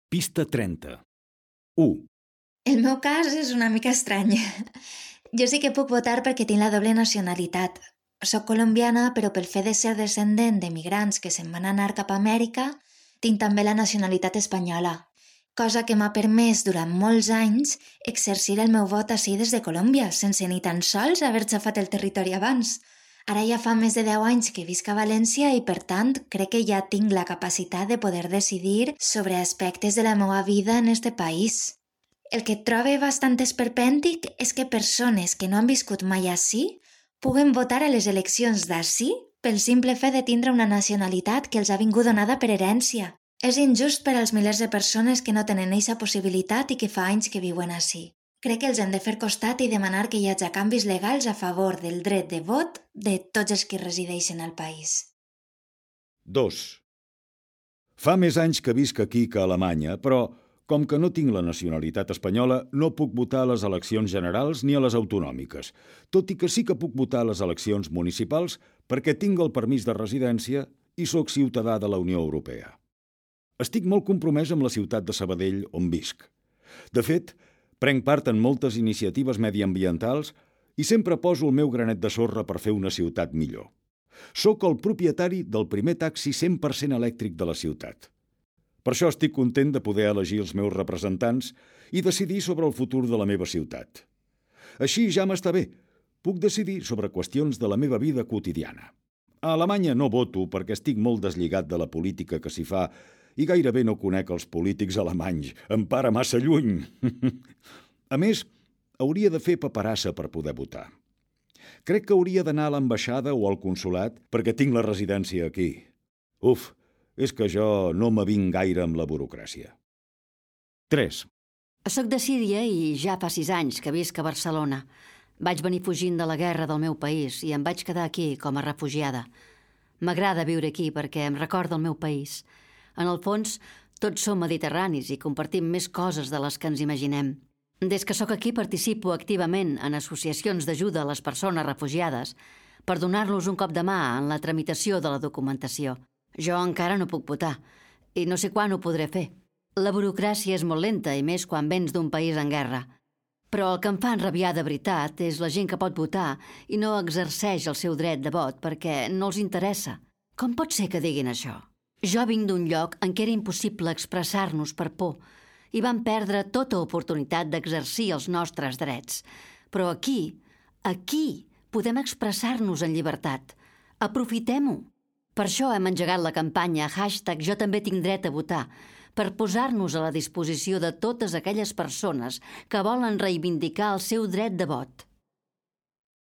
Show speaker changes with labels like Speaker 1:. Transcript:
Speaker 1: Pista 30. 1.
Speaker 2: El meu cas és una mica estrany. Jo sí que puc votar perquè tinc la doble nacionalitat. Soc colombiana, però pel fet de ser descendent de migrants que se'n van anar cap a Amèrica, tinc també la nacionalitat espanyola, cosa que m'ha permès durant molts anys exercir el meu vot ací des de Colòmbia, sense ni tan sols haver xafat el territori abans. Ara ja fa més de 10 anys que visc a València i, per tant, crec que ja tinc la capacitat de poder decidir sobre aspectes de la meva vida en este país. El que trobo bastant esperpèntic és que persones que no han viscut mai ací puguen votar a les eleccions d'ací pel simple fet de tindre una nacionalitat que els ha vingut donada per herència. És injust per als milers de persones que no tenen eixa possibilitat i que fa anys que viuen ací. Crec que els hem de fer costat i demanar que hi hagi canvis legals a favor del dret de vot de tots els que resideixen al país.
Speaker 1: 2. Fa més anys que visc aquí que a Alemanya, però com que no tinc la nacionalitat espanyola, no puc votar a les eleccions generals ni a les autonòmiques, tot i que sí que puc votar a les eleccions municipals perquè tinc el permís de residència i sóc ciutadà de la Unió Europea. Estic molt compromès amb la ciutat de Sabadell, on visc. De fet, prenc part en moltes iniciatives mediambientals i sempre poso el meu granet de sorra per fer una ciutat millor. Soc el propietari del primer taxi 100% elèctric de la ciutat. Per això estic content de poder elegir els meus representants i decidir sobre el futur de la meva ciutat. Així ja m'està bé. Puc decidir sobre qüestions de la meva vida quotidiana. A Alemanya no voto perquè estic molt deslligat de la política que s'hi fa i gairebé no conec els polítics alemanys. Em para massa lluny. A més, hauria de fer paperassa per poder votar. Crec que hauria d'anar a l'ambaixada o al consolat perquè tinc la residència aquí. Uf, és que jo no m'avinc gaire amb la burocràcia. 3.
Speaker 3: Soc de Síria i ja fa 6 anys que visc a Barcelona. Vaig venir fugint de la guerra del meu país i em vaig quedar aquí com a refugiada. M'agrada viure aquí perquè em recorda el meu país. En el fons, tots som mediterranis i compartim més coses de les que ens imaginem. Des que sóc aquí participo activament en associacions d'ajuda a les persones refugiades per donar-los un cop de mà en la tramitació de la documentació. Jo encara no puc votar i no sé quan ho podré fer. La burocràcia és molt lenta i més quan vens d'un país en guerra. Però el que em fa enrabiar de veritat és la gent que pot votar i no exerceix el seu dret de vot perquè no els interessa. Com pot ser que diguin això? Jo vinc d'un lloc en què era impossible expressar-nos per por i vam perdre tota oportunitat d'exercir els nostres drets. Però aquí podem expressar-nos en llibertat. Aprofitem-ho. Per això hem engegat la campanya #JoTambéTincDretAVotar per posar-nos a la disposició de totes aquelles persones que volen reivindicar el seu dret de vot.